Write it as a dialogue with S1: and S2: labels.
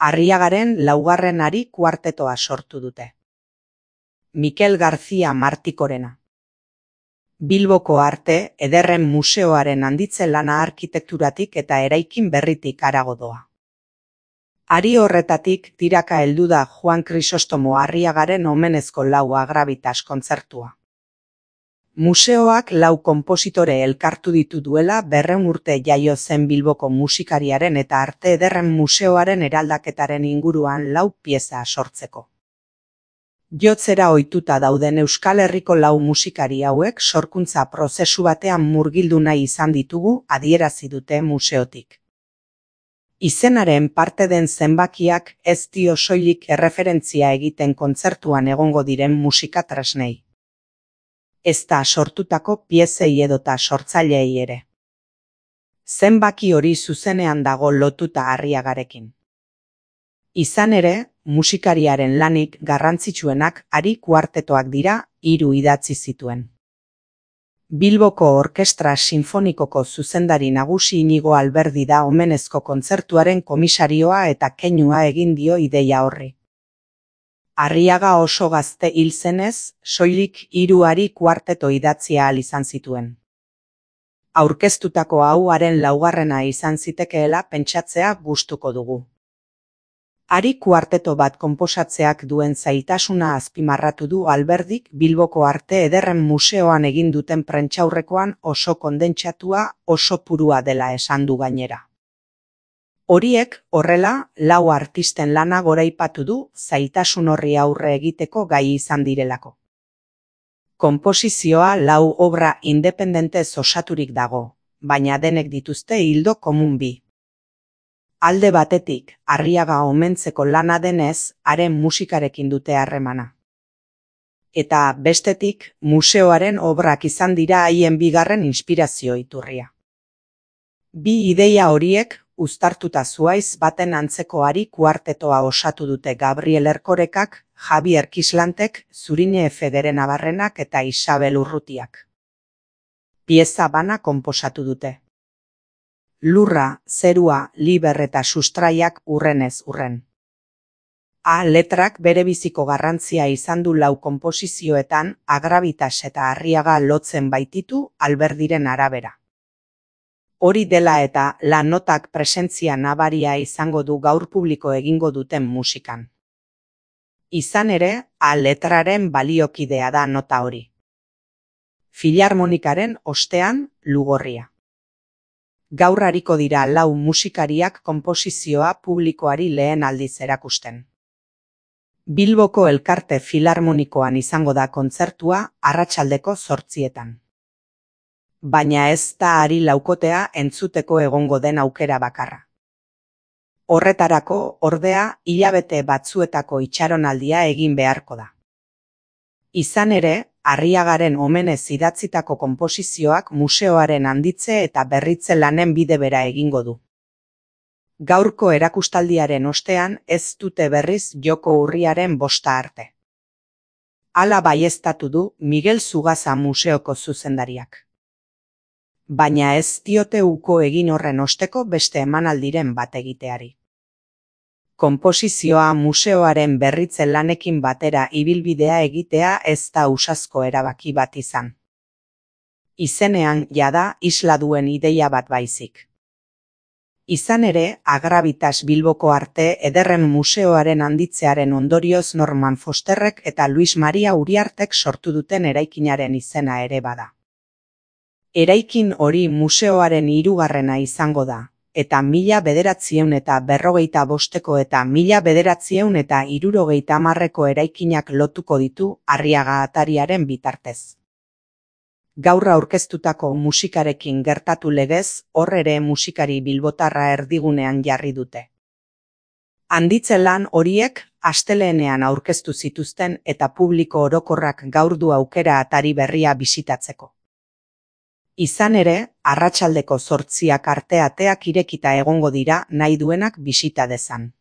S1: Arriagaren laugarren ari kuartetoa sortu dute. Mikel García Martikorena. Bilboko Arte Ederren Museoaren handitze lana arkitekturatik eta eraikin berritik harago doa. Ari horretatik tiraka heldu da Juan Crisostomo Arriagaren omenezko lau agravitas kontzertua. Museoak lau konpositore elkartu ditu duela 200 urte jaio zen Bilboko musikariaren eta Arte Ederren Museoaren eraldaketaren inguruan lau pieza sortzeko. Jotzera ohituta dauden Euskal Herriko lau musikari hauek sorkuntza prozesu batean murgildu nahi izan ditugu adierazi dute museotik. Izenaren parte den zenbakiak ez dio soilik erreferentzia egiten kontzertuan egongo diren musika tresnei. Ezta sortutako piezei edota sortzaileei ere. Zenbaki hori zuzenean dago lotuta Arriagarekin. Izan ere, musikariaren lanik garrantzitsuenak Ari kuartetoak dira, 3 idatzi zituen. Bilboko Orkestra Sinfonikoko zuzendari nagusi Inigo Alberdi da omenezko kontzertuaren komisarioa eta keinua egin dio ideia horri. Arriaga oso gazte hil zenez, soilik 3 Ari kuarteto idatzi ahal izan zituen. Aurkeztutako hau haren laugarrena izan zitekeela pentsatzea gustuko dugu. Ari kuarteto bat konposatzeak duen zaitasuna azpimarratu du Alberdik Bilboko Arte Ederren Museoan egin duten prentsaurrekoan oso kondentsatua, oso purua dela esan du gainera. Horiek, horrela, lau artisten lana goraipatu du zailtasun horri aurre egiteko gai izan direlako. Konposizioa lau obra independentez osaturik dago, baina denek dituzte ildo komun bi. Alde batetik, Arriaga omentzeko lana denez, haren musikarekin dute harremana. Eta bestetik, museoaren obrak izan dira haien bigarren inspirazio iturria. Bi ideia horiek, uztartuta zuaiz baten antzeko Ari kuartetoa osatu dute Gabriel Erkorekak, Javier Kislantek, Zurine Efegeren Abarrenak eta Isabel Urrutiak. Pieza bana konposatu dute. Lurra, zerua, liber eta sustraiak urrenez urren. Letrak bere biziko garrantzia izan du lau konposizioetan agravitas eta Arriaga lotzen baititu Alberdiren arabera. Hori dela eta la notak presentzia nabaria izango du gaur publiko egingo duten musikan. Izan ere, letraren baliokidea da nota hori. Filarmonikaren ostean, Lugorria. Gaur hariko dira lau musikariak konposizioa publikoari lehen aldiz erakusten. Bilboko Elkarte Filarmonikoan izango da kontzertua arratsaldeko 8:00. Baina ez da Ari laukotea entzuteko egongo den aukera bakarra. Horretarako, ordea, hilabete batzuetako itxaronaldia egin beharko da. Izan ere, Arriagaren omenez idatzitako konposizioak museoaren handitze eta berritze lanen bide bera egingo du. Gaurko erakustaldiaren ostean ez dute berriz joko urriaren 5 arte. Hala baieztatu du Miguel Zugaza museoko zuzendariak. Baina ez diote uko egin horren osteko beste emanaldiren bat egiteari. Konposizioa museoaren berritze lanekin batera ibilbidea egitea ez da ausazko erabaki bat izan. Izenean jada isla duen ideia bat baizik. Izan ere, agravitas Bilboko Arte Ederren Museoaren handitzearen ondorioz Norman Fosterrek eta Luis Maria Uriartek sortu duten eraikinaren izena ere bada. Eraikin hori museoaren 3. izango da. Eta 1945 eta 1970 eraikinak lotuko ditu Arriaga atariaren bitartez. Gaur aurkeztutako musikarekin gertatu legez, hor ere musikari bilbotarra erdigunean jarri dute. Handitze lan horiek asteleenean aurkeztu zituzten eta publiko orokorrak gaur du aukera atari berria bisitatzeko. Izan ere, arratsaldeko 8:00 arte ateak irekita egongo dira nahi duenak bisita dezan.